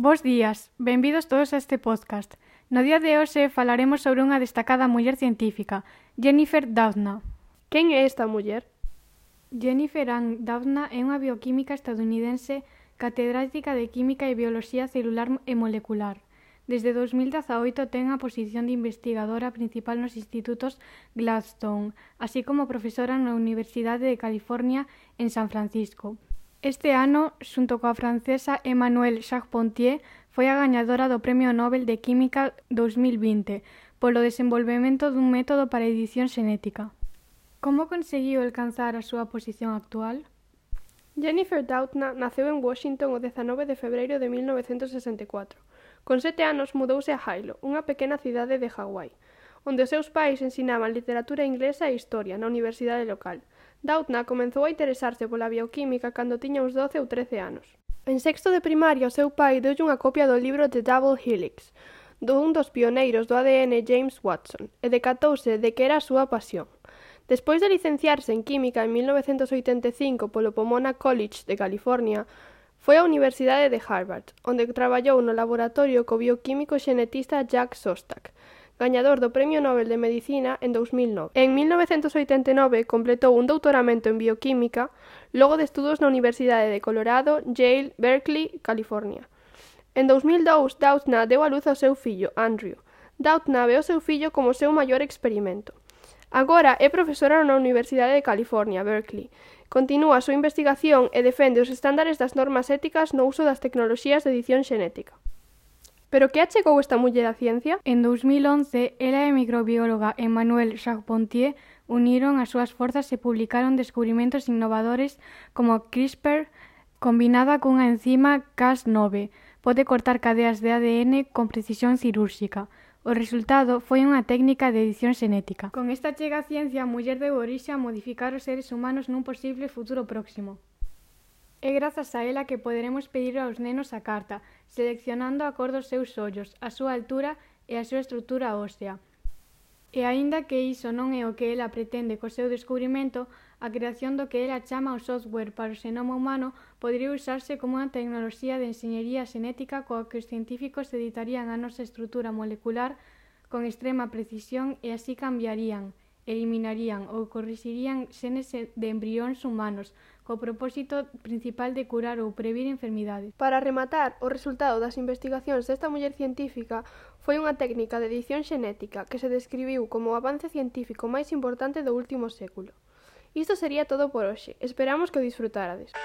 Bos días, benvidos todos a este podcast. No día de hoxe falaremos sobre unha destacada muller científica, Jennifer Doudna. Quen é esta muller? Jennifer Ann Doudna é unha bioquímica estadounidense catedrática de Química e Bioloxía Celular e Molecular. Desde 2018 ten a posición de investigadora principal nos institutos Gladstone, así como profesora na Universidade de California en San Francisco. Este ano, xunto coa francesa Emmanuelle Charpentier, foi a gañadora do Premio Nobel de Química 2020 polo desenvolvemento dun método para edición xenética. Como conseguiu alcanzar a súa posición actual? Jennifer Doudna naceu en Washington o 19 de febreiro de 1964. Con 7 anos mudouse a Hilo, unha pequena cidade de Hawái, onde os seus pais ensinaban literatura inglesa e historia na universidade local. Doudna comezou a interesarse pola bioquímica cando tiña uns 12 ou 13 anos. En sexto de primaria, o seu pai deulle unha copia do libro The Double Helix, dun dos pioneiros do ADN James Watson, e decatouse de que era a súa pasión. Despois de licenciarse en química en 1985 polo Pomona College de California, foi á Universidade de Harvard, onde traballou no laboratorio co bioquímico xenetista Jack Szostak, gañador do Premio Nobel de Medicina en 2009. En 1989 completou un doutoramento en bioquímica, logo de estudos na Universidade de Colorado, Yale, Berkeley, California. En 2002, Doudna deu a luz ao seu fillo, Andrew. Doudna ve o seu fillo como o seu maior experimento. Agora é profesora na Universidade de California, Berkeley. Continúa a súa investigación e defende os estándares das normas éticas no uso das tecnoloxías de edición xenética. Pero que achegou esta muller á ciencia? En 2011, ela e a microbióloga Emmanuelle Charpentier uniron as súas forzas e publicaron descubrimentos innovadores como CRISPR combinada cunha enzima Cas9. Pode cortar cadeas de ADN con precisión cirúrxica. O resultado foi unha técnica de edición xenética. Con esta chega á ciencia, a muller deu orixe a modificar os seres humanos nun posible futuro próximo. É grazas a ela que poderemos pedir aos nenos a carta, seleccionando a cor dos seus ollos, a súa altura e a súa estrutura ósea. E aínda que iso non é o que ela pretende co seu descubrimento, a creación do que ela chama o software para o xenoma humano podería usarse como unha tecnoloxía de enxeñería xenética coa que os científicos editarían a nosa estrutura molecular con extrema precisión e así cambiarían, eliminarían ou corrixirían xenes de embrións humanos, co propósito principal de curar ou previr enfermidades. Para rematar, o resultado das investigacións desta muller científica foi unha técnica de edición xenética que se describiu como o avance científico máis importante do último século. Isto sería todo por hoxe. Esperamos que o disfrutárades.